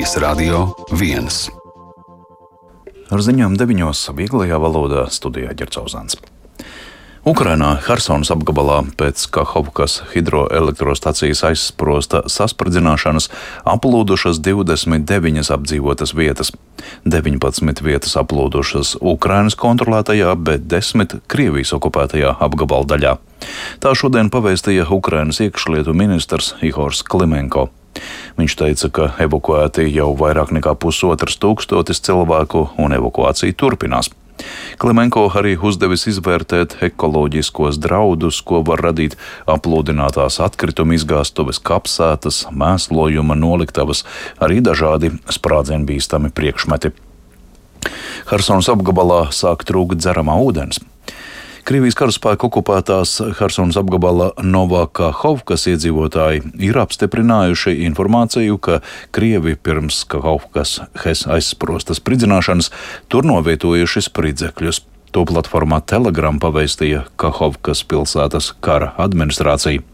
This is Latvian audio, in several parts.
Radio 1. Ar ziņām 9. vieglajā valodā studijā Ģercauzāns. Ukrainā Hersonas apgabalā pēc Kahovkas hidroelektrostacijas aizsprosta saspridzināšanas aplūdušas 29 apdzīvotas vietas. 19 vietas aplūdušas Ukrainas kontrolētajā, bet 10 Krievijas okupētajā apgabala daļā. Tā šodien pavēstīja Ukrainas iekšlietu ministrs Ihors Klimenko. Viņš teica, ka evakuēti jau vairāk nekā 1500 cilvēku un evakuācija turpinās. Klimenko arī uzdevis izvērtēt ekoloģiskos draudus, ko var radīt aplūdinātās atkrituma izgāstuves, kapsētas, mēslojuma noliktavas, arī dažādi sprādzienbīstami priekšmeti. Hersonas apgabalā sāk trūkt dzeramā ūdens. Krievijas karaspēka okupētās Hersonas apgabala Novakahovkas iedzīvotāji ir apstiprinājuši informāciju, ka Krievi pirms Kahovkas aizsprosta spridzināšanas tur novietojuši spridzekļus. To platformā Telegram pavēstīja Kahovkas pilsētas kara administrācija.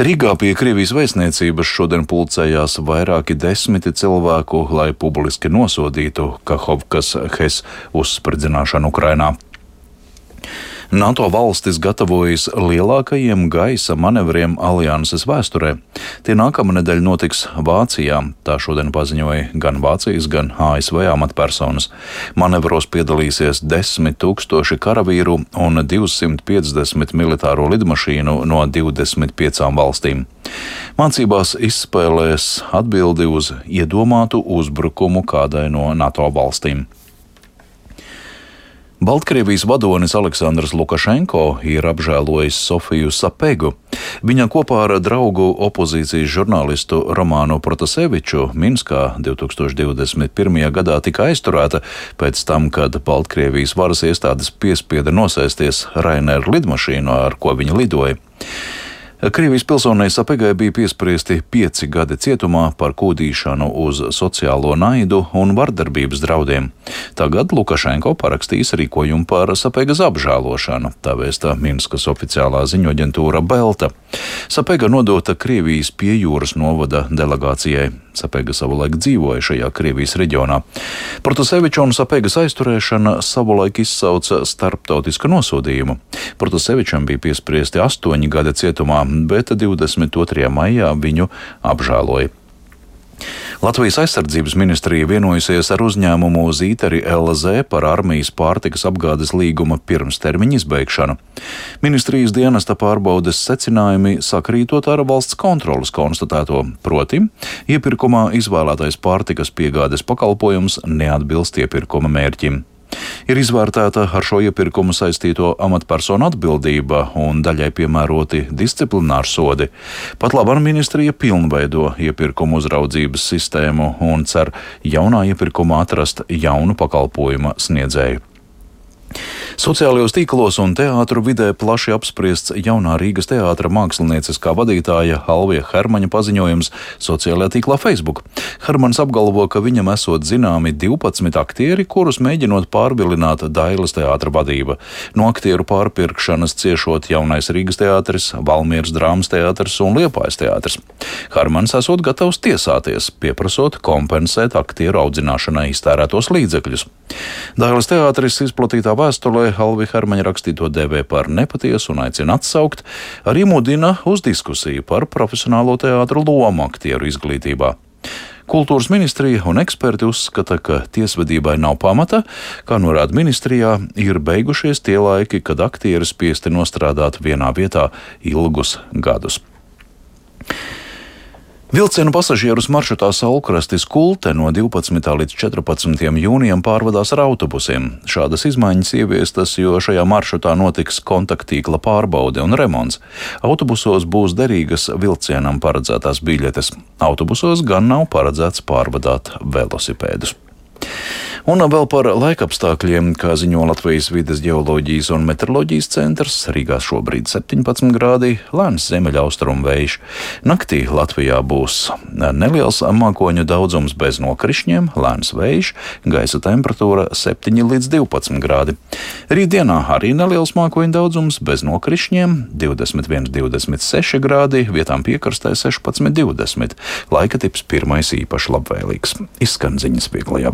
Rīgā pie Krievijas vēstniecības šodien pulcējās vairāki desmiti cilvēku, lai publiski nosodītu Kahovkas uzspridzināšanu Ukrainā. NATO valstis gatavojas lielākajiem gaisa manevriem alianses vēsturē. Tie nākamnedēļ notiks Vācijā, tā šodien paziņoja gan Vācijas, gan ASV amatpersonas. Manevros piedalīsies 10 000 karavīru un 250 militāro lidmašīnu no 25 valstīm. Mācībās izspēlēs atbildi uz iedomātu uzbrukumu kādai no NATO valstīm. Baltkrievijas vadonis Aleksandrs Lukašenko ir apžēlojis Sofiju Sapegu. Viņa kopā ar draugu opozīcijas žurnālistu Romānu Protaseviču Minskā 2021. gadā tika aizturēta pēc tam, kad Baltkrievijas varas iestādes piespieda nosēsties Ryanair lidmašīnu, ar ko viņa lidoja. Krievijas pilsonei Sapegai bija piespriesti 5 gadi cietumā par kūdīšanu uz sociālo naidu un vardarbības draudiem. Tagad Lukašenko parakstīs rīkojumu par Sapegas apžēlošanu, tā vēsta Minskas oficiālā ziņoaģentūra Belta. Sapega nodota Krievijas piejūras novada delegācijai. Sapega savulaik dzīvoja šajā Krievijas reģionā. Protaseviča un Sapegas aizturēšana savulaik izsauca starptautisku nosodījumu. Protasevičam bija piespriesti 8 gadi cietumā, bet 22. maijā viņu apžēloja. Latvijas aizsardzības ministrija vienojusies ar uzņēmumu Zīteri LZ par armijas pārtikas apgādes līguma pirmstermiņa izbeigšanu. Ministrijas dienesta pārbaudes secinājumi sakrītot ar valsts kontroles konstatēto, proti, iepirkumā izvēlētais pārtikas piegādes pakalpojums neatbilst iepirkuma mērķim. Ir izvērtēta ar šo iepirkumu saistīto amatpersonu atbildība un daļai piemēroti disciplināri sodi. Pat labāk ministrija pilnveido iepirkumu uzraudzības sistēmu un cer jaunā iepirkumā atrast jaunu pakalpojuma sniedzēju. Sociālajos tīklos un teātru vidē plaši apspriests jaunā Rīgas teātra mākslinieciskā vadītāja Alvija Hermaņa paziņojums sociālajā tīklā Facebook. Hermans apgalvo, ka viņam esot zināmi 12 aktieri, kurus mēģinot pārvilināt Dailes teātra vadība. No aktieru pārpirkšanas ciešot jaunais Rīgas teātris, Valmieras drāmas teātris un Liepājas teātris. Hermans esot gatavs tiesāties, pieprasot kompensēt aktieru audzināšanai iztērētos līdzekļus. Dailes teātris izplatītā vēstulē Alvija Hermaņa rakstīto dēvē par nepatiesu un aicina atsaukt, arī mudina uz diskusiju par profesionālo teātru lomu aktieru izglītībā. Kultūras ministrija un eksperti uzskata, ka tiesvedībai nav pamata, kā norāda ministrijā, ir beigušies tie laiki, kad aktieri spiesti nostrādāt vienā vietā ilgus gadus. Vilcienu pasažierus maršrutā Saulkrastis Kulte no 12. līdz 14. jūnijam pārvadās ar autobusiem. Šādas izmaiņas ieviestas, jo šajā maršrutā notiks kontakttīkla pārbaude un remonts. Autobusos būs derīgas vilcienam paredzētās biļetes. Autobusos gan nav paredzēts pārvadāt velosipēdus. Un vēl par laikapstākļiem, kā ziņo Latvijas vides geoloģijas un meteoroloģijas centrs, Rīgā šobrīd 17 grādi, lēns ziemeļaustrumu vējš. Naktī Latvijā būs neliels mākoņu daudzums bez nokrišņiem, lēns vējš, gaisa temperatūra 7 līdz 12 grādi. Rītdienā arī neliels mākoņu daudzums bez nokrišņiem, 21–26 grādi, vietām piekrastē 16–20. Laika tips pirmais īpaši labvēlīgs. Izskan ziņas vieglajā valodā.